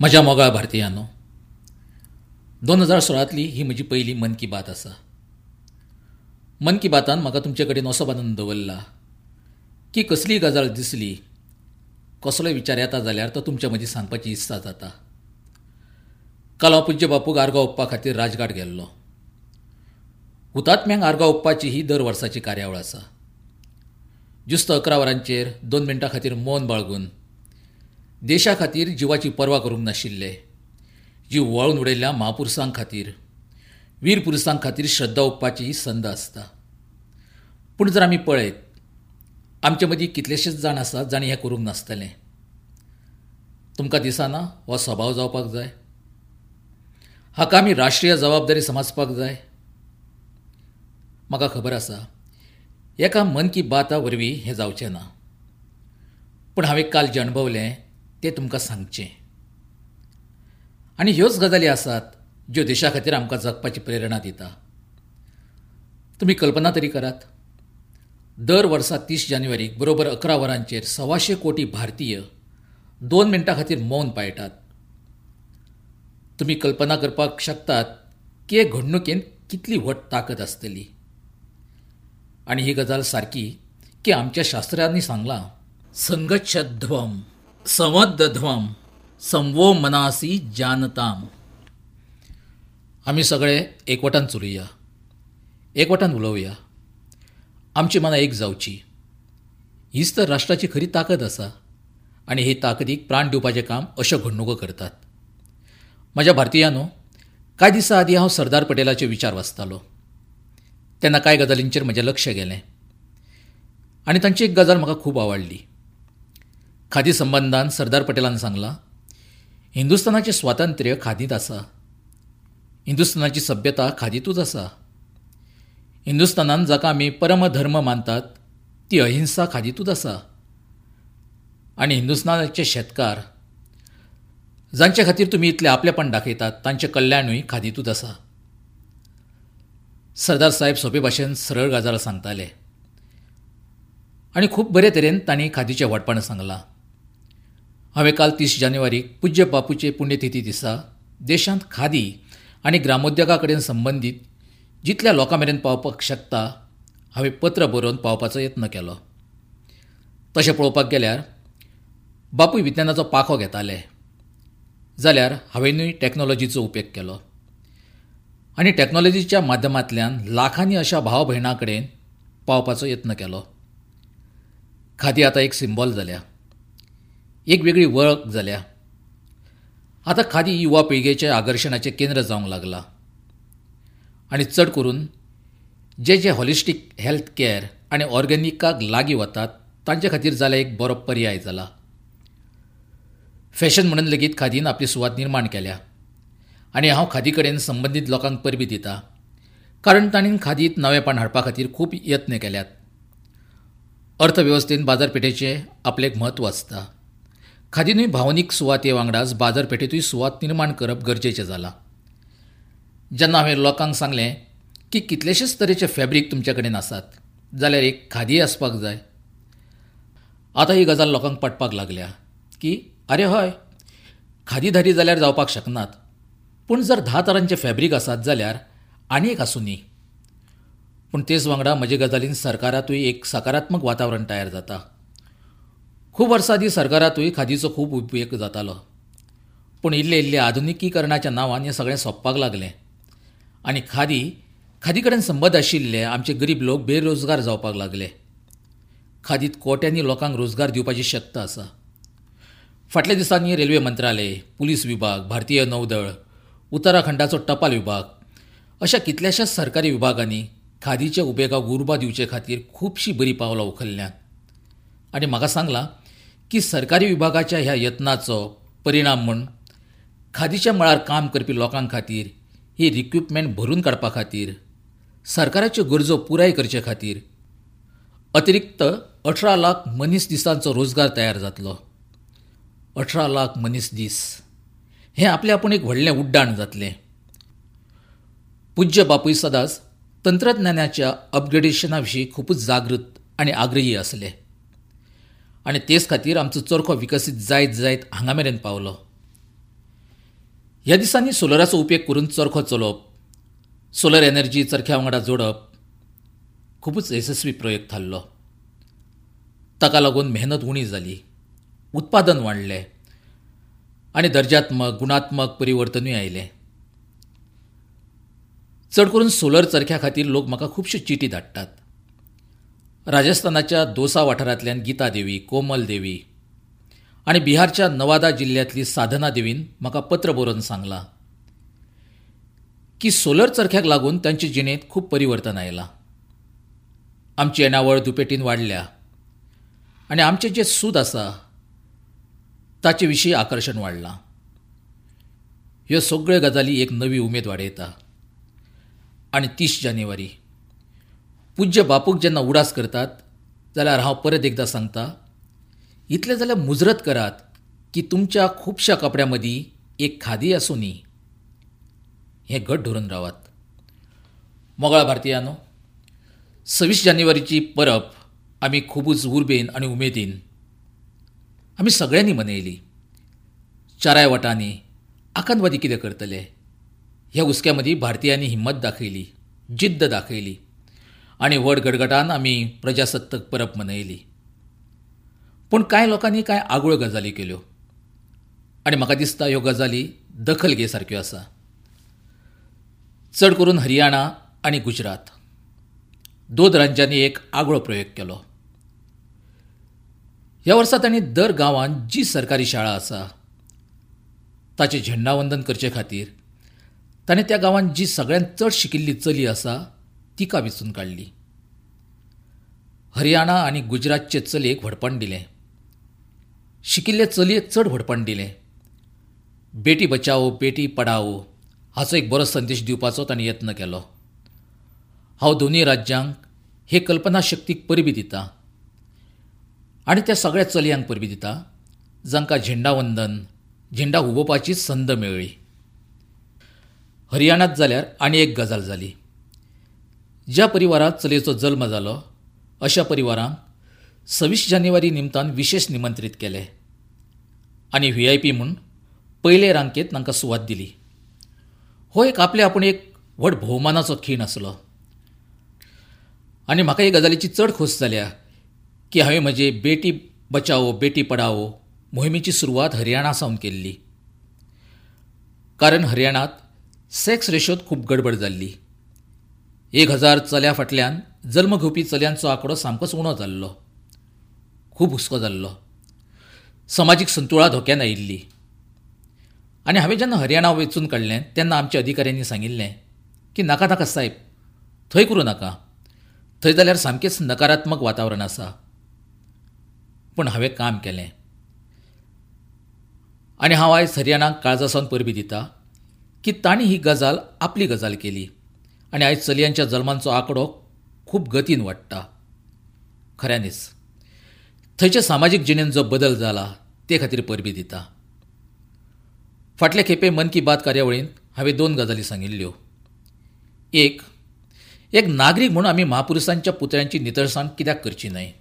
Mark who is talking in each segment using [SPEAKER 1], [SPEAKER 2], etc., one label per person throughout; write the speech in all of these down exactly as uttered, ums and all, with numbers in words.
[SPEAKER 1] म्हज्या मोगाळ भारतीयांनो, दोन हजार सोळांतली ही म्हजी पयली मन की बात आसा. मन की बातान म्हाका तुमचे कडेन असो बांदून दवरला की कसलीय गजाल दिसली, कसलोय विचार येता जाल्यार तो तुमच्या मदीं सांगपाची इत्सा जाता. काल हांव पूज्य बापूक आर्गां ओंपपा खातीर राजघाट गेल्लो. हुतात्म्यांक आर्गां ओंपपाची ही दर वर्साची कार्यावळ आसा. ज्युस्त अकरा वरांचेर दोन मिनटां खातीर मौन बाळगून देशा खातीर जिवाची पर्वा करूंक नाशिल्ले, जीव वळून उडयल्ल्या म्हापुरसां खातीर, वीर पुरसां खातीर श्रद्धा ओंपपाची ही संद आसता. पूण जर आमी पळयत, आमचे मदीं कितलेशेच जाण आसात जांणी हें करूंक नासतलें. तुमकां दिसना हो स्वभाव जावपाक जाय? हाका आमी राष्ट्रीय जबाबदारी समजपाक जाय. म्हाका खबर आसा एका मन की बाता वरवीं हें जावचें ना, पूण हांवें काल जें अणभवलें तें तुमकां सांगचें. आनी ह्योच गजाली आसात ज्यो देशा खातीर आमकां जगपाची प्रेरणा दिता. तुमी कल्पना तरी करात, दर वर्सा तीस जानेवारीक बरोबर अकरा वरांचेर सवाशे कोटी भारतीय दोन मिनटां खातीर मौन पाळटात. तुमी कल्पना करपाक शकतात की हे घडणुकेंत कितली व्हड ताकद आसतली. आनी ही गजाल सारकी की आमच्या शास्त्रांनी सांगलां, संगच्छध्वम संवदध्वम संवो मनासी जानताम. आमी सगळे एकवटान चलुया, एकवटान उलोवया, आमची मनां एक जावची. हीच तर राष्ट्राची खरी ताकद आसा आनी हे ताकदीक प्राण दिवपाचें काम अश्यो घडणुको करतात. म्हज्या भारतीयांनो, कांय दिसां आदीं हांव सरदार पटेलाचे विचार वाचतालो तेन्ना कांय गजालींचेर म्हजें लक्ष गेलें आनी तांची एक गजाल म्हाका खूब आवडली. खादी संबंदान सरदार पटेलान सांगलां, हिंदुस्थानाचें स्वातंत्र्य खादींत आसा, हिंदुस्थानाची सभ्यता खादींतूच आसा, हिंदुस्थानान जाका आमी परमधर्म मानतात ती अहिंसा खादींतूच आसा, आनी हिंदुस्थानाचे शेतकार जांचे खातीर तुमी इतलें आपलेपण दाखयतात तांचें कल्याणूय खादींतूच आसा. सरदार साहेब सोपे भाशेन सरळ गजाल सांगताले आनी खूब बरे तरेन तांणी खादीचें व्हडपण सांगलां. हांवें काल तीस जानेवारीक पूज्य बापूचे पुण्यतिथी दिसा देशांत खादी आनी ग्रामोद्योगा कडेन संबंदीत जितल्या लोकां मेरेन पावपाक शकता हांवें पत्र बरोवन पावपाचो यत्न केलो. तशें पळोवपाक गेल्यार बापूय विज्ञानाचो पाखो घेताले, जाल्यार हांवेंनूय टॅक्नोलॉजीचो उपेग केलो आनी टॅक्नोलॉजीच्या माध्यमांतल्यान लाखांनी अशा भाव भयणां कडेन पावपाचो यत्न केलो. खादी आतां एक सिंबॉल जाल्या, एक वेगळी वळख जाल्या. आतां खादी युवा पिळगेच्या आकर्शणाचें केंद्र जावंक लागलां आनी चड करून जे जे हॉलिस्टीक हेल्थ केअर आनी ऑर्गेनिकाक लागीं वतात तांचे खातीर जाल्यार एक बरो पर्याय जाला. फॅशन म्हणून लेगीत खादीन आपली सुवात निर्माण केल्या आनी हांव खादी कडेन संबंदीत लोकांक परबीं दिता, कारण तांणी खादींत नवेंपण हाडपा खातीर खूब यत्न केल्यात. अर्थवेवस्थेंत बाजारपेठेचें आपलें एक म्हत्व आसता. खादीनूय भावनीक सुवाते वांगडाच बाजारपेठेंतूय सुवात निर्माण करप गरजेचें जालां. जेन्ना हांवें लोकांक सांगलें की कितलेशेच तरेचे फॅब्रीक तुमचे कडेन आसात जाल्यार एक खादी आसपाक जाय, आतां ही गजाल लोकांक पटपाक लागल्या की आरे हय, खादी धारी जाल्यार जावपाक शकनात, पूण जर धा तरांचे फॅब्रीक आसात जाल्यार आनी एक आसूं न्ही. पूण तेच वांगडा म्हजे गजालीन सरकारांतूय एक सकारात्मक वातावरण तयार जाता. खूब वर्सां आदीं सरकारांतूय खादीचो खूब उपेग जातालो, पूण इल्ले इल्ले आधुनिकीकरणाच्या नांवान हें सगळें सोंपपाक लागलें आनी खादी खादी कडेन संबंद आशिल्ले आमचे गरीब लोक बेरोजगार जावपाक लागले. खादींत कोट्यांनी लोकांक रोजगार दिवपाची शक्त आसा. फाटल्या दिसांनी रेल्वे मंत्रालय, पुलीस विभाग, भारतीय नौदळ, उत्तराखंडाचो टपाल विभाग अशा कितल्याशाच सरकारी विभागांनी खादीच्या उपेगाक उर्बा दिवचे खातीर खुबशीं बरीं पावलां उखल्ल्यांत आनी म्हाका सांगलां की सरकारी विभागाच्या ह्या यत्नाचो परिणाम म्हूण खादीच्या मळार काम करपी लोकां खातीर ही रिक्रुटमेंट भरून काडपा खातीर सरकाराच्यो गरजो पुराय करचे खातीर अतिरिक्त अठरा लाख मनीस दिसांचो रोजगार तयार जातलो. अठरा लाख मनीस दीस हें आपलें आपूण एक व्हडलें उड्डाण जातलें. पूज्य बापूय सदांच तंत्रज्ञानाच्या अपग्रेडेशना विशीं खुबूच जागृत आनी आग्रही आसले आनी तेच खातीर आमचो चरखो विकसीत जायत जायत हांगा मेरेन पावलो. ह्या दिसांनी सोलराचो उपेग करून चरखो चलोवप, सोलर एनर्जी चरख्या वांगडा जोडप खुबूच येसस्वी प्रयोग थारलो. ताका लागून मेहनत उणी जाली, उत्पादन वाडलें आनी दर्जात्मक गुणात्मक परिवर्तनूय आयलें. चड करून सोलर चरख्या खातीर लोक म्हाका खुबश्यो चिटी धाडटात. राजस्थानाच्या दोसा वाठारांतल्यान गीता देवी, कोमल देवी आनी बिहारच्या नवादा जिल्ल्यांतली साधना देवीन म्हाका पत्र बरोवन सांगलां की सोलर चरख्याक लागून तांचे जिणेंत खूब परिवर्तन आयलां. आमची येणावळ दुपेटीन वाडल्या आनी आमचें जें सूद आसा ताचे विशीं आकर्शण वाडलां. ह्यो सगळ्यो गजाली एक नवी उमेद वाडयता. आनी तीस जानेवारी पूज्य बापूक जेन्ना उडास करतात जाल्यार हांव परत एकदां सांगता, इतलें जाल्यार मुजरत करात की तुमच्या खुबश्या कपड्यां मदीं एक खादी आसूं न्ही, हें घट धरून रावात. मोगाळ भारतीयांनो, सव्वीस जानेवारीची परब आमी खुबूच उर्बेन आनी उमेदीन आमी सगळ्यांनी मनयली. चाराय वटांनी आकांतवादी कितें करतले ह्या हुस्क्या मदीं भारतीयांनी हिम्मत दाखयली, जिद्द दाखयली आनी व्हड गडगडान आमी प्रजासत्ताक परब मनयली. पूण कांय लोकांनी कांय आगळ्यो गजाली केल्यो आनी म्हाका दिसता ह्यो गजाली दखल घे सारक्यो आसा. चड करून हरियाणा आनी गुजरात दोन राज्यांनी एक आगळो प्रयोग केलो. ह्या वर्सा तांणी दर गांवांत जी सरकारी शाळा आसा ताचें झेंडावंदन करचे खातीर ताणें त्या गांवांत जी सगळ्यांत चड शिकिल्ली चली आसा तिका वेंचून काडली. हरियाणा आनी गुजरातचे चलयेक व्हडपण दिलें, शिकिल्ले चलयेक चड व्हडपण दिलें. बेटी बचाओ बेटी पढाओ हाचो एक बरो संदेश दिवपाचो ताणें यत्न केलो. हांव दोनूय राज्यांक हे कल्पना शक्तीक परबी दिता आनी त्या सगळ्या चलयांक परबी दिता जांकां झेंडावंदन, झेंडा हुबोवपाची संद मेळ्ळी. हरियाणांत जाल्यार आनी एक गजाल जाली. ज्या परिवारांत चलयेचो जल्म जालो अशा परिवारांक सव्वीस जानेवारी निमतान विशेष निमंत्रीत केले आनी व्ही I P म्हूण पयले रांकेत तांकां सुवात दिली. हो एक आपले आपूण एक व्हड भोवमानाचो खीण आसलो आनी म्हाका हे गजालीची चड खोस जाल्या की हांवें म्हजे बेटी बचाओ बेटी पढाओ मोहिमेची सुरवात हरियाणा सावन केल्ली. कारण हरियाणांत सेक्स रेशोत खूब गडबड जाल्ली. एक हजार चल्या फाटल्यान जल्म घेवपी चलयांचो आंकडो सामकोच उणो जाल्लो, खूब हुस्को जाल्लो, समाजीक संतुळा धोक्यान आयिल्ली. आनी हांवें जेन्ना हरियाणा वेंचून काडलें तेन्ना आमच्या अधिकाऱ्यांनी सांगिल्लें की नाका नाका साहेब, थंय करूं नाका, थंय जाल्यार सामकेंच नकारात्मक वातावरण आसा. पूण हांवें काम केलें आनी हांव आयज हरियाणाक काळजा सावन परबी दिता की तांणी ही गजाल आपली गजाल केली आनी आयज चलयांच्या जल्मांचो आंकडो खूब गतीन वाडटा. खऱ्यांनीच थंयच्या सामाजीक जिणेंत जो बदल जाला ते खातीर परबी दिता. फाटले खेपे मन की बात कार्यावळींत हांवें दोन गजाली सांगिल्ल्यो. एक, एक नागरीक म्हणून आमी म्हापुरुसांच्या पुतळ्यांची नितळसाण कित्याक करची न्हय?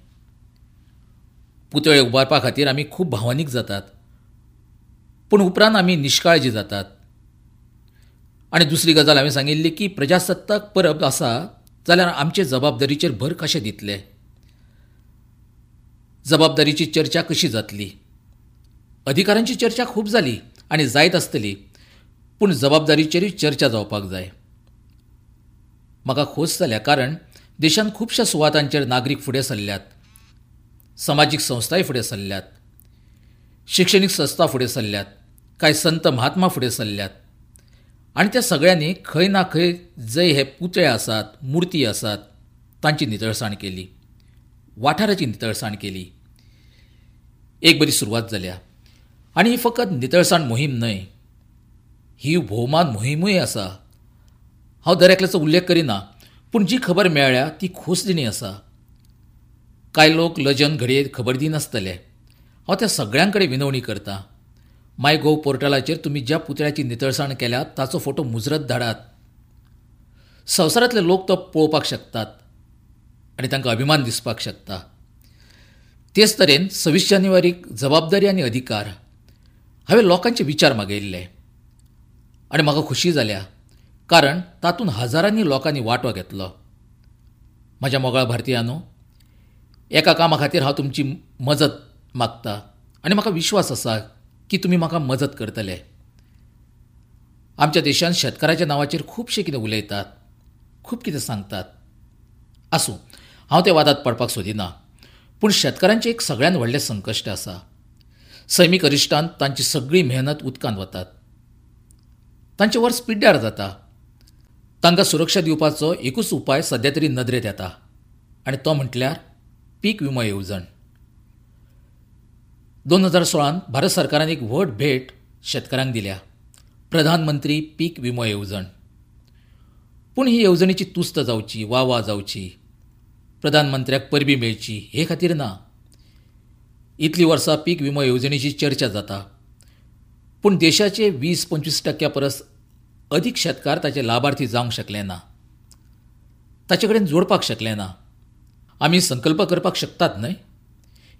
[SPEAKER 1] पुतळे उबारपा खातीर आमी खूब भावनीक जातात, पूण उपरांत आमी निश्काळजी जातात. आनी दुसरी गजाल हांवें सांगिल्ली की प्रजासत्ताक परब आसा जाल्यार आमचे जबाबदारीचेर भर कशें दितले, जबाबदारीची चर्चा कशी जातली? अधिकारांची चर्चा खूब जाली आनी जायत आसतली, पूण जबाबदारीचेरूय चर्चा जावपाक जाय. म्हाका खोस जाल्या कारण देशांत खुबश्या सुवातांचेर नागरीक फुडें सरल्यात, समाजीक संस्थाय फुडें सरल्यात, शिक्षणीक संस्था फुडें सरल्यात, कांय संत महात्मा फुडें सरल्यात आनी त्या सगळ्यांनी खंय ना खंय जंय हे पुतळे आसात, मुर्ती आसात तांची नितळसाण केली, वाठाराची नितळसाण केली. एक बरी सुरवात जाल्या आनी ही फकत नितळसाण मोहीम न्हय, ही भोवमान मोहिमूय आसा. हांव दर एकल्याचो उल्लेख करिना, पूण जी खबर मेळ्ळ्या ती खोसदिणी आसा. कांय लोक लजन घडये खबर दिनासतले. हांव त्या सगळ्यां कडेन विनवणी करता, माय गोव पोर्टलाचेर तुमी ज्या पुतळ्याची नितळसाण केल्या ताचो फोटो मुजरत धाडात. संवसारांतले लोक तो पळोवपाक शकतात आनी तांकां अभिमान दिसपाक शकता. तेच तरेन सव्वीस जानेवारीक जबाबदारी आनी अधिकार हांवें लोकांचे विचार मागयिल्ले. आनी म्हाका खुशी जाल्या कारण तातूंत हजारांनी लोकांनी वांटो घेतलो. म्हज्या मोगाळ भारतीयांनो, एका कामा खातीर हांव तुमची मजत मागता आनी म्हाका विश्वास आसा की तुमी म्हाका मजत करतले. आमच्या देशांत शेतकाराच्या नांवाचेर खुबशें कितें उलयतात, खूब कितें सांगतात. आसूं, हांव त्या वादांत पडपाक सोदिना, पूण शेतकारांचें एक सगळ्यांत व्हडलें संकश्ट आसा. सैमीक अरिश्टांत तांची सगळी मेहनत उदकांत वतात, तांचें वर्स पिड्ड्यार जाता. तांकां सुरक्षा दिवपाचो एकूच उपाय सद्या तरी नदरेंत येता आनी तो म्हटल्यार पीक विमो येवजण. दोन हजार सोळांत भारत सरकारान एक व्हड भेट शेतकारांक दिल्या, प्रधानमंत्री पीक विमो येवजण. पूण ही येवजणेची तुस्त जावची, वा वा जावची, प्रधानमंत्र्याक परबी मेळची हे खातीर ना. इतलीं वर्सां पीक विमो येवजणेची चर्चा जाता, पूण देशाचे वीस पंचवीस टक्क्या परस अदीक शेतकार ताचे लाभार्थी जावंक शकले ना, ताचे कडेन जोडपाक शकले ना. आमी संकल्प करपाक शकतात न्हय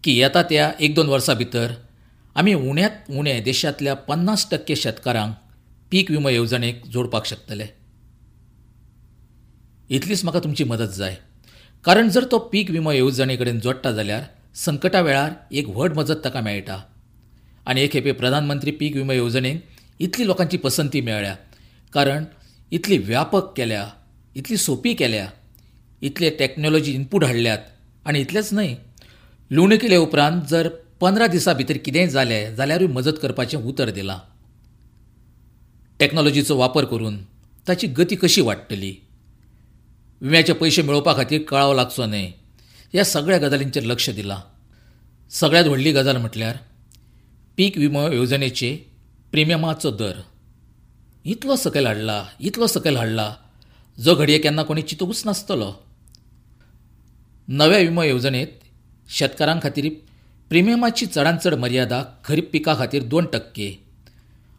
[SPEAKER 1] की येता त्या एक दोन वर्सां भितर आमी उण्यांत उणे देशांतल्या पन्नास टक्के शेतकारांक पीक विमो येवजणेक जोडपाक शकतले. इतलीच म्हाका तुमची मदत जाय, कारण जर तो पीक विमो येवजणे कडेन जोडटा जाल्यार संकटा वेळार एक व्हड मजत ताका मेळटा. आनी एक खेपे प्रधानमंत्री पीक विमो येवजणेक इतली लोकांची पसंती मेळ्ळ्या कारण इतली व्यापक केल्या, इतली सोंपी केल्या, इतले टॅक्नोलॉजी इनपूट हाडल्यात. आनी इतलेंच न्हय, लुवणी केले उपरांत जर पंदरा दिसां भितर कितेंय जालें जाल्यारूय मजत करपाचें उतर दिलां. टॅक्नोलॉजीचो वापर करून ताची गती कशी वाडटली, विम्याचे पयशे मेळोवपा खातीर कळाव लागचो न्हय, ह्या सगळ्या गजालींचेर लक्ष दिलां. सगळ्यांत व्हडली गजाल म्हटल्यार पीक विमो येवजणेचे प्रिमियमाचो दर इतलो सकयल हाडला, इतलो सकयल हाडला जो घडये केन्ना कोणी चिंतूंकच नासतलो. नव्या विमो येवजणेंत शेतकारां खातीर प्रिमियमाची चडांत चड मर्यादा खरीप पिका खातीर दोन टक्के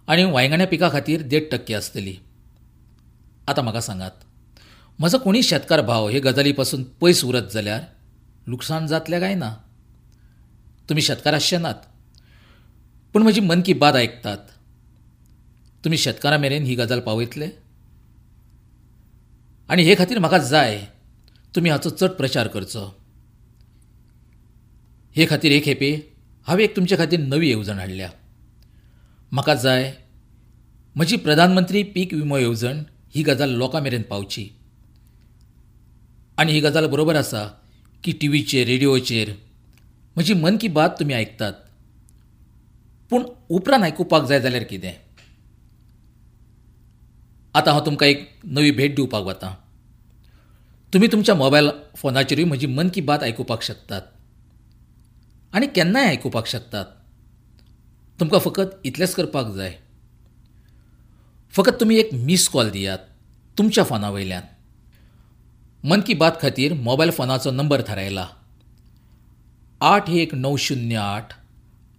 [SPEAKER 1] आनी वांयगण्या पिका खातीर देड टक्के आसतली. आतां म्हाका सांगात, म्हजो कोणीय शेतकार भाव हे गजाली पासून पयस उरत जाल्यार लुकसाण जातलें काय ना? तुमी शेतकार आसचे नात, पूण म्हजी मन की बात आयकतात. तुमी शेतकारां मेरेन ही गजाल पावयतले आनी हे खातीर म्हाका जाय तुमी हाचो चड प्रचार करचो. हे खातीर एक खेपे हांवें एक तुमचे खातीर नवी येवजण हाडल्या. म्हाका जाय म्हजी प्रधानमंत्री पीक विमो येवजण ही गजाल लोकां मेरेन पावची. आनी ही गजाल बरोबर आसा की टिवीचेर, रेडिओचेर म्हजी मन की बात तुमी आयकतात, पूण उपरांत आयकुपाक जाय जाल्यार कितें? आतां हांव तुमकां एक नवी भेट दिवपाक वतां. तुमी तुमच्या मोबायल फोनाचेरूय म्हजी मन की बात आयकुपाक शकतात आनी केन्नाय आयकुपाक शकतात. तुमकां फकत इतलेंच करपाक जाय, फकत तुमी एक मीस कॉल दियात तुमच्या फोना वयल्यान. मन की बात खातीर मोबायल फोनाचो नंबर थारायला, आठ एक णव शुन्य आठ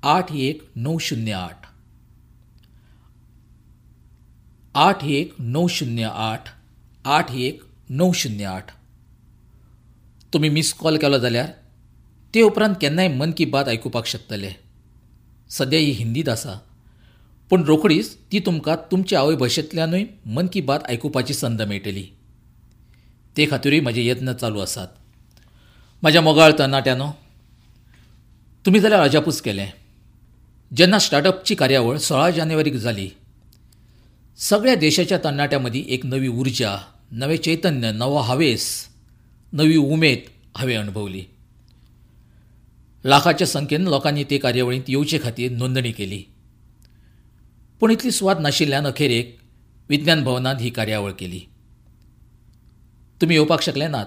[SPEAKER 1] आठ एक णव शुन्य आठ, आठ एक णव शुन्य आठ आठ एक णव शुन्य आठ. तुमी मीस कॉल केलो जाल्यार ते उपरांत केन्नाय मन की बात आयकुपाक शकतले. सद्या ही हिंदीत आसा, पूण रोखडीच ती तुमकां तुमचे आवय भाशेंतल्यानूय मन की बात आयकुपाची संद मेळटली. ते खातीरूय म्हजे यत्न चालू आसात. म्हज्या मोगाळ तरणाट्यांनो, तुमी जाल्यार अजापूच केलें जेन्ना स्टार्टअपची कार्यावळ सोळा जानेवारीक जाली. सगळ्या देशाच्या तरणाट्यां मदीं एक नवी उर्जा, नवें चैतन्य, नवो हावेस, नवी उमेद हांवें अणभवली. लाखाच्या संख्येन लोकांनी ते कार्यावळींत येवचे खातीर नोंदणी केली, पूण इतली सुवात नाशिल्ल्यान अखेरेक विज्ञान भवनांत ही कार्यावळ केली. तुमी येवपाक शकले नात,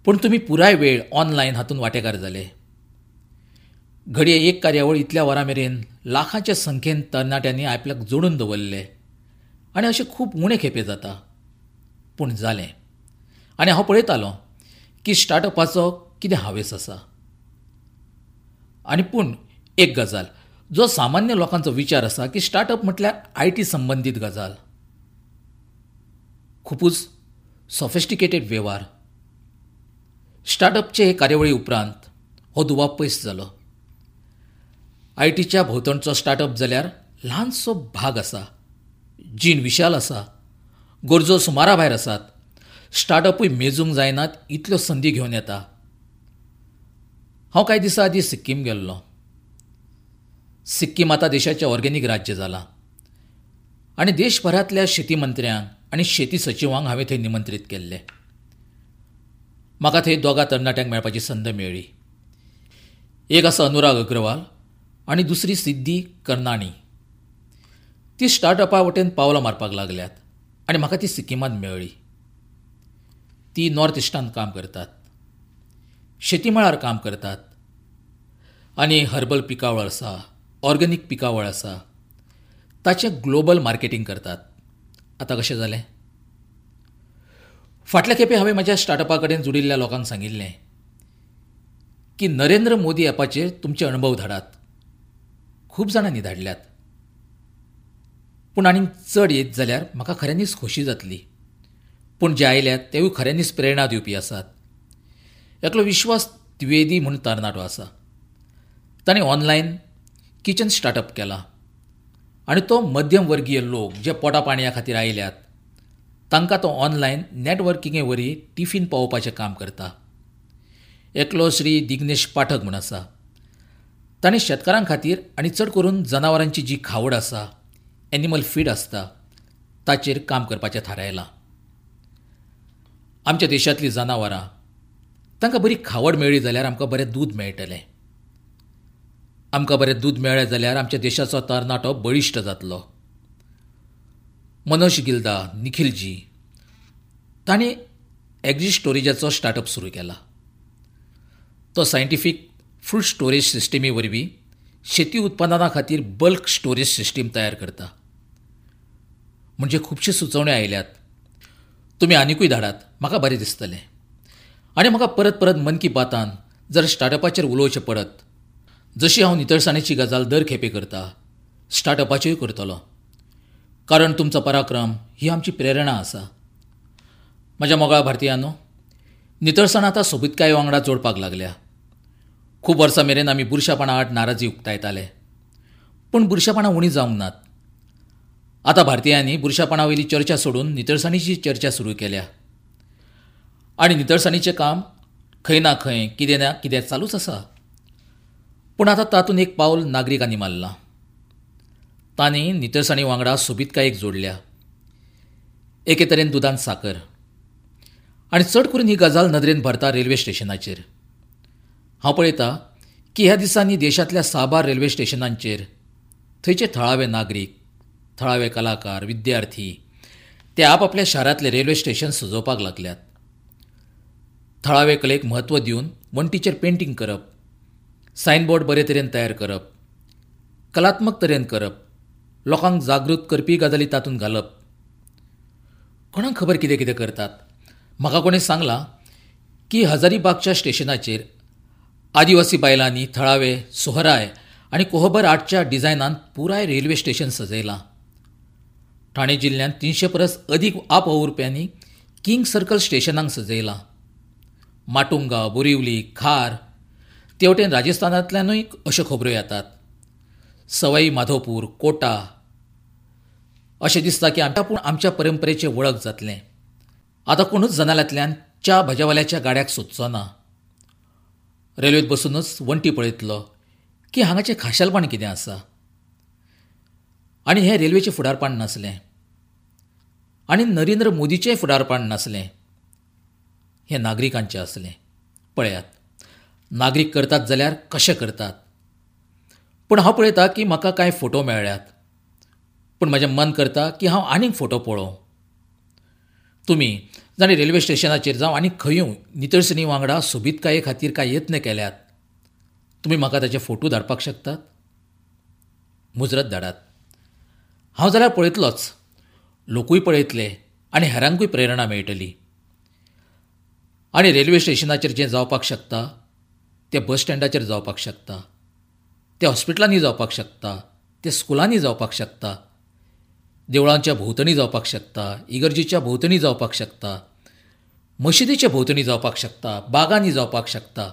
[SPEAKER 1] पूण तुमी पुराय वेळ ऑनलायन हातूंत वांटेकार जाले. घडये एक कार्यावळ इतल्या वरां मेरेन लाखांच्या संख्येन तरणाट्यांनी आपल्याक जोडून दवरले आनी अशें खूब उणें खेपे जाता, पूण जालें. आनी हांव पळयतालों की स्टार्टअपाचो कितें हावेस आसा. आनी पूण एक गजाल, जो सामान्य लोकांचो विचार आसा की स्टार्टअप म्हटल्यार I T संबंदीत गजाल, खुबूच सॉफिस्टिकेटेड वेव्हार. स्टार्टअपचे हे कार्यावळी उपरांत हो दुबाव पयस जालो. I टीच्या भोंवतणचो स्टार्टअप जाल्यार ल्हानसो भाग आसा जीण विशाल आसा, गरजो सुमारा भायर आसात, स्टार्टअपूय मेजूंक जायनात इतल्यो संदी घेवन येता. हांव कांय दिसां आदीं सिक्कीम गेल्लो. सिक्कीम आतां देशाचें ऑर्गेनीक राज्य जालां आनी देशभरांतल्या शेती मंत्र्यांक आनी शेती सचिवांक हांवें थंय निमंत्रीत केल्ले. म्हाका थंय दोगां तरणाट्यांक मेळपाची संद मेळ्ळी. एक आसा अनुराग अग्रवाल आनी दुसरी सिद्धी कर्नाणी. ती स्टार्टअपा वटेन पावलां मारपाक लागल्यात आनी म्हाका ती सिक्किमांत मेळ्ळी. ती नॉर्थ इस्टांत काम करतात, शेती मळार काम करतात आनी हर्बल पिकावळ आसा, ऑर्गेनीक पिकावळ आसा, ताचें ग्लोबल मार्केटींग करतात. आतां कशें जालें? फाटल्या खेपे हांवें म्हज्या स्टार्टअपा कडेन जुडिल्ल्या लोकांक सांगिल्लें की नरेंद्र मोदी ॲपाचेर तुमचे अणभव धाडात. खूब जाणांनी धाडल्यात, पूण आनीक चड येत जाल्यार म्हाका खऱ्यांनीच खोशी जातली. पूण जे आयल्यात तेवूय खऱ्यांनीच प्रेरणा दिवपी आसात. एकलो विश्वास द्विवेदी म्हूण तरणाटो आसा, ताणें ऑनलायन किचन स्टार्टअप केला आनी तो मध्यमवर्गीय लोक जे पोटा पाणया खातीर आयल्यात तांकां तो ऑनलायन नॅटवर्किंगे वरवीं टिफीन पावोवपाचें काम करता. एकलो श्री दिग्नेश पाठक म्हूण आसा, ताणें शेतकारां खातीर आनी चड करून जनावरांची जी खावड आसा, एनिमल फीड आसता, ताचेर काम करपाचें थारायलां. आमच्या देशांतलीं जनावरां तांकां बरी खावड मेळ्ळी जाल्यार आमकां बरें दूद मेळटलें. आमकां बरें दूद मेळ्ळें जाल्यार आमच्या देशाचो तरणाटो बळिश्ट जातलो. मनोज गिल्दा, निखिलजी तांणी एग्री स्टोरेजाचो स्टार्टअप सुरू केला. तो सायंटिफीक फ्रूट स्टोरेज सिस्टमी वरवीं शेती उत्पादना खातीर बल्क स्टोरेज सिस्टीम तयार करता. म्हणजे खुबश्यो सुचोवण्यो आयल्यात. तुमी आनिकूय धाडात, म्हाका बरें दिसतलें. आनी म्हाका परत परत मन की बातान जर स्टार्टअपाचेर उलोवचें पडत, जशी हांव नितळसाणेची गजाल दर खेपे करता, स्टार्टअपाच्योय करतलो. कारण तुमचो पराक्रम ही आमची प्रेरणा आसा. म्हज्या मोगाळ भारतीयांनो, नितळसाण आतां सोबीतकाये वांगडा जोडपाक लागल्या. खूब वर्सां मेरेन आमी बुरशापणा आड नाराजी उक्तायताले, पूण बुरशापणां उणीं जावंक नात. आतां भारतीयांनी बुरशापणा वयली चर्चा सोडून नितळसाणीची चर्चा सुरू केल्या आनी नितळसाणीचें काम खंय ना खंय कितें ना कितें चालूच आसा. पूण आतां तातूंत एक पावल नागरिकांनी मारलां. तांणी नितळसाणी वांगडा सोबीतकायेक जोडल्या. एके तरेन दुदान साकर. आनी चड करून ही गजाल नदरेन भरता रेल्वे स्टेशनाचेर. हांव पळयता की ह्या दिसांनी देशांतल्या साबार रेल्वे स्टेशनांचेर थंयचे थळावे नागरीक, थळावे कलाकार, विद्यार्थी ते आपआपल्या शारांतले रेल्वे स्टेशन सजोवपाक लागल्यात. थळावे कलेक म्हत्व दिवन वण्टीचेर पेंटींग करप, सायनबोर्ड बरे तरेन तयार करप, कलात्मक तरेन करप, लोकांक जागृत करपी गजाली तातूंत घालप. कोणाक खबर कितें कितें करतात. म्हाका कोणें सांगलां की हजारीबागच्या स्टेशनाचेर आदिवासी बायलांनी थळावे सोहराय आनी कोहबर आर्टच्या डिझायनान पुराय रेल्वे स्टेशन सजयलां. ठाणे जिल्ल्यांत तिनशे परस अदीक आपवावुरप्यांनी किंग सर्कल स्टेशनांक सजयलां. माटुंगा, बोरिवली, खार तेवटेन राजस्थानांतल्यानूय अश्यो खबऱ्यो येतात. सवाई माधोपूर, कोटा. अशें दिसता की आमच्या पूण आमच्या परंपरेचें वळख जातलें. आतां कोणूच जनाल्यांतल्यान च्या भज्यावाल्याच्या गाड्याक सोदचो ना. रेल्वेंत बसूनच वण्टी पळयतलो की हांगाचें खाशेलपण कितें आसा. आनी हें रेल्वेचें फुडारपण नासलें आनी नरेंद्र मोदीचें फुडारपण नासलें, हें नागरिकांचें आसलें. पळयात, नागरीक करतात जाल्यार कशें करतात. पूण हांव पळयता की म्हाका कांय फोटो मेळ्ळ्यात, पूण म्हजें मन करता की हांव आनीक फोटो पळोवं. तुमी जांणी रेल्वे स्टेशनाचेर जावं आनी खंयूय नितळसणी वांगडा सोबीतकाये खातीर कांय यत्न केल्यात, तुमी म्हाका ताचे फोटो धाडपाक शकतात? मुजरत धाडात. हांव जाल्यार पळयतलोच, लोकूय पळयतले आनी हेरांकूय प्रेरणा मेळटली. आनी रेल्वे स्टेशनाचेर जें जावपाक शकता तें बस स्टँडाचेर जावपाक शकता, तें हॉस्पिटलांनी जावपाक शकता, तें स्कुलांनी जावपाक शकता, देवळांच्या भोंवतणी जावपाक शकता, इगर्जीच्या भोंवतणी जावपाक शकता, मशिदीच्या भोंवतणी जावपाक शकता, बागांनी जावपाक शकता,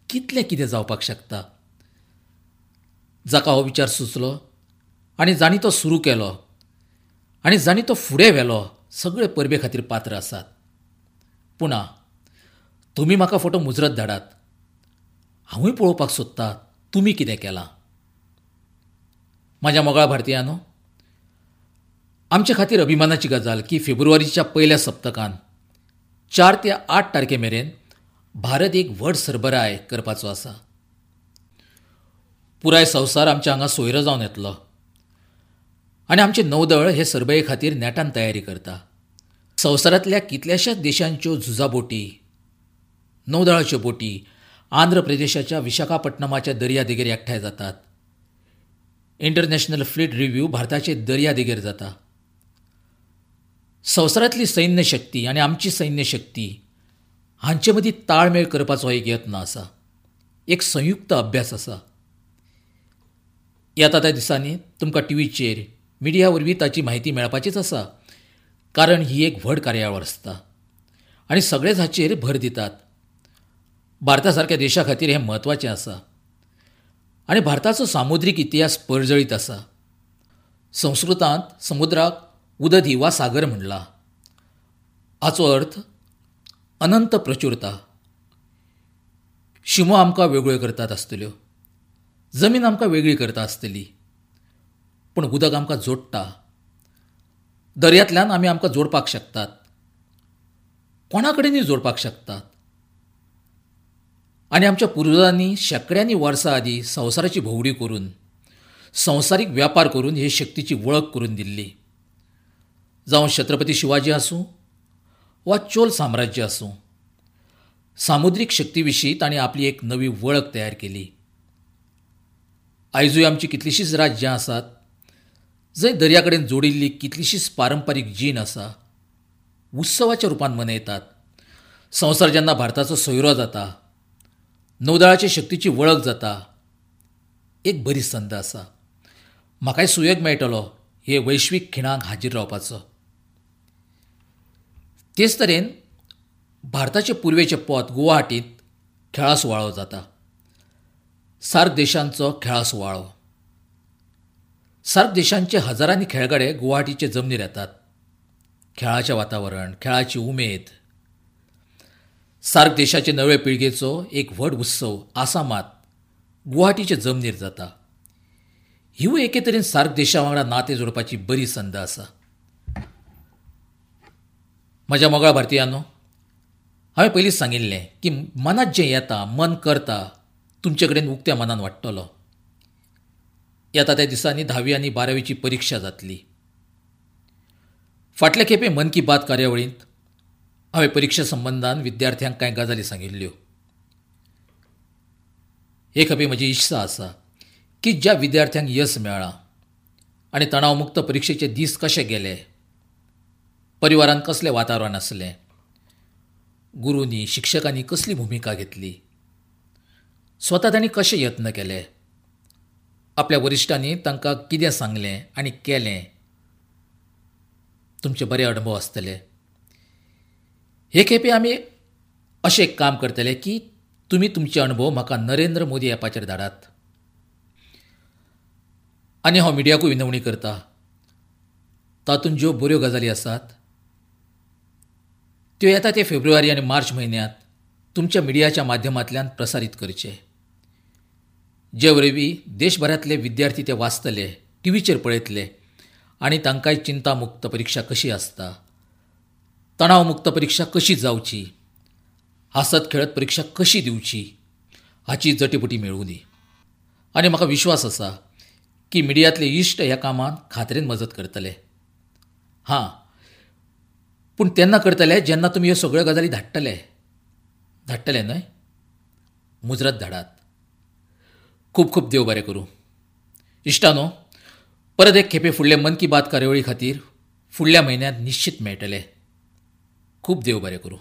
[SPEAKER 1] कितलें कितें जावपाक शकता. जाका हो विचार सुचलो आनी जांणी तो सुरू केलो आनी जांणी तो फुडें व्हेलो सगळे परबे खातीर पात्र आसात. पुणा तुमी म्हाका फोटो मुजरत धाडात. हांवूय पळोवपाक सोदता तुमी कितें केलां. म्हाज्या मोगाळ भारतीयांनो, आमचे खातीर अभिमानाची गजाल की फेब्रुवारीच्या पयल्या सप्तकान चार ते आठ तारखे मेरेन भारत एक व्हड सरबराय करपाचो आसा. पुराय संवसार आमच्या हांगा सोयरो जावन येतलो आनी आमचें नौदळ हे सरबराये खातीर नेटान तयारी करता. संवसारांतल्या कितल्याशाच देशांच्यो झुजा बोटी, नौदळाच्यो बोटी आंध्र प्रदेशाच्या विशाखापट्टणमाच्या दर्यादेगेर एकठांय जातात. इंटरनॅशनल फ्लीट रिव्ह्यू भारताचे दर्यादेगेर जाता. संवसारांतली सैन्य शक्ती आनी आमची सैन्य शक्ती हांचे मदीं ताळमेळ करपाचो एक यत्न आसा, एक संयुक्त अभ्यास आसा. येता त्या दिसांनी तुमकां टीव्हीचेर, मिडिया वरवीं ताची म्हायती मेळपाचीच आसा, कारण ही एक व्हड कार्यावळ आसता आनी सगळेच हाचेर भर दितात. भारता सारक्या देशा खातीर हें म्हत्वाचें आसा आनी भारताचो सामुद्रीक इतिहास परजळीत आसा. संस्कृतांत समुद्राक उदधी वा सागर म्हणला. हाचो अर्थ अनंत प्रचुरता. शिमो आमकां वेगळ्यो करतात आसतल्यो, जमीन आमकां वेगळी करता आसतली, पूण उदक आमकां जोडटा. दर्यांतल्यान आमी आमकां जोडपाक शकतात, कोणा कडेनूय जोडपाक शकतात. आनी आमच्या पुर्वजांनी शेंकड्यांनी वर्सां आदीं संवसाराची भोंवडी करून, संवसारीक व्यापार करून हे शक्तीची वळख करून दिल्ली. जावं छत्रपती शिवाजी आसूं वा चोल साम्राज्य आसूं, सामुद्रीक शक्ती विशीं तांणी आपली एक नवी वळख तयार केली. आयजूय आमची कितलींशींच राज्यां आसात जंय दर्या कडेन जोडिल्ली कितलीशीच पारंपारीक जीण आसा, उत्सवाच्या रुपान मनयतात. संवसार जेन्ना भारताचो सोयरो जाता, नौदळाचे शक्तीची वळख जाता, एक बरी संद आसा. म्हाकाय सुयोग मेळटलो हे वैश्वीक खिणाक हाजीर रावपाचो. तेच तरेन भारताचे पुर्वेचे पोत गुवाहाटींत खेळा सुवाळो जाता. सार्क देशांचो खेळा सुवाळो. सार्क देशांचे हजारांनी खेळगडे गुवाहाटीचे जमनीर येतात. खेळाचें वातावरण, खेळाची उमेद. सार्क देशाचे नवे पिळगेचो एक व्हड उत्सव आसामांत गुवाहाटीचे जमनीर जाता. हिवूय एके तरेन सार्क देशा वांगडा नातें जोडपाची बरी संद आसा. म्हज्या मोगाळ भारतीयांनो, हांवें पयलींच सांगिल्लें की मनांत जें येता, मन करता, तुमचे कडेन उक्त्या मनान वाडटलो. येता त्या दिसांनी धावी आनी बारावीची परिक्षा जातली. फाटले खेपे मन की बात कार्यावळींत हांवें परिक्षा संबंदान विद्यार्थ्यांक कांय गजाली सांगिल्ल्यो. हे खेपे म्हजी इत्सा आसा की ज्या विद्यार्थ्यांक यस मेळ्ळां आनी तणावमुक्त परिक्षेचे दीस कशे गेले, परिवारांत कसलें वातावरण आसलें, गुरूंनी शिक्षकांनी कसली भुमिका घेतली, स्वता तांणी कशे यत्न केले, आपल्या वरिश्ठांनी तांकां कितें सांगलें आनी केलें, तुमचे बरे अणभव आसतले. हे खेपे आमी अशें एक काम करतले की तुमी तुमचे अणभव म्हाका नरेंद्र मोदी ॲपाचेर धाडात. आनी हांव मिडियाकूय विनवणी करता, तातूंत ज्यो बऱ्यो गजाली आसात त्यो येता ते फेब्रुवारी आनी मार्च म्हयन्यांत तुमच्या मिडियाच्या माध्यमांतल्यान प्रसारीत करचे, जे वरवीं देशभरांतले विद्यार्थी ते वाचतले, टीव्हीचेर पळयतले आनी तांकांय चिंतामुक्त परिक्षा कशी आसता, तणावमुक्त परिक्षा कशी जावची, हांसत खेळत परिक्षा कशी दिवची हाची जटीपुटी मेळूं दी. आनी म्हाका विश्वास आसा की मिडियांतले इश्ट ह्या कामांत खात्रेन मजत करतले. हां, पूण तेन्ना करतले जेन्ना तुमी ह्यो सगळ्यो गजाली धाडटले. धाडटले न्हय? मुजरत धाडात. खूब खूब देव बरें करूं. इश्टानो, परत एक खेपे फुडले मन की बात कार्यावळी खातीर फुडल्या म्हयन्यांत निश्चित मेळटले. खूब देव बरें करूं.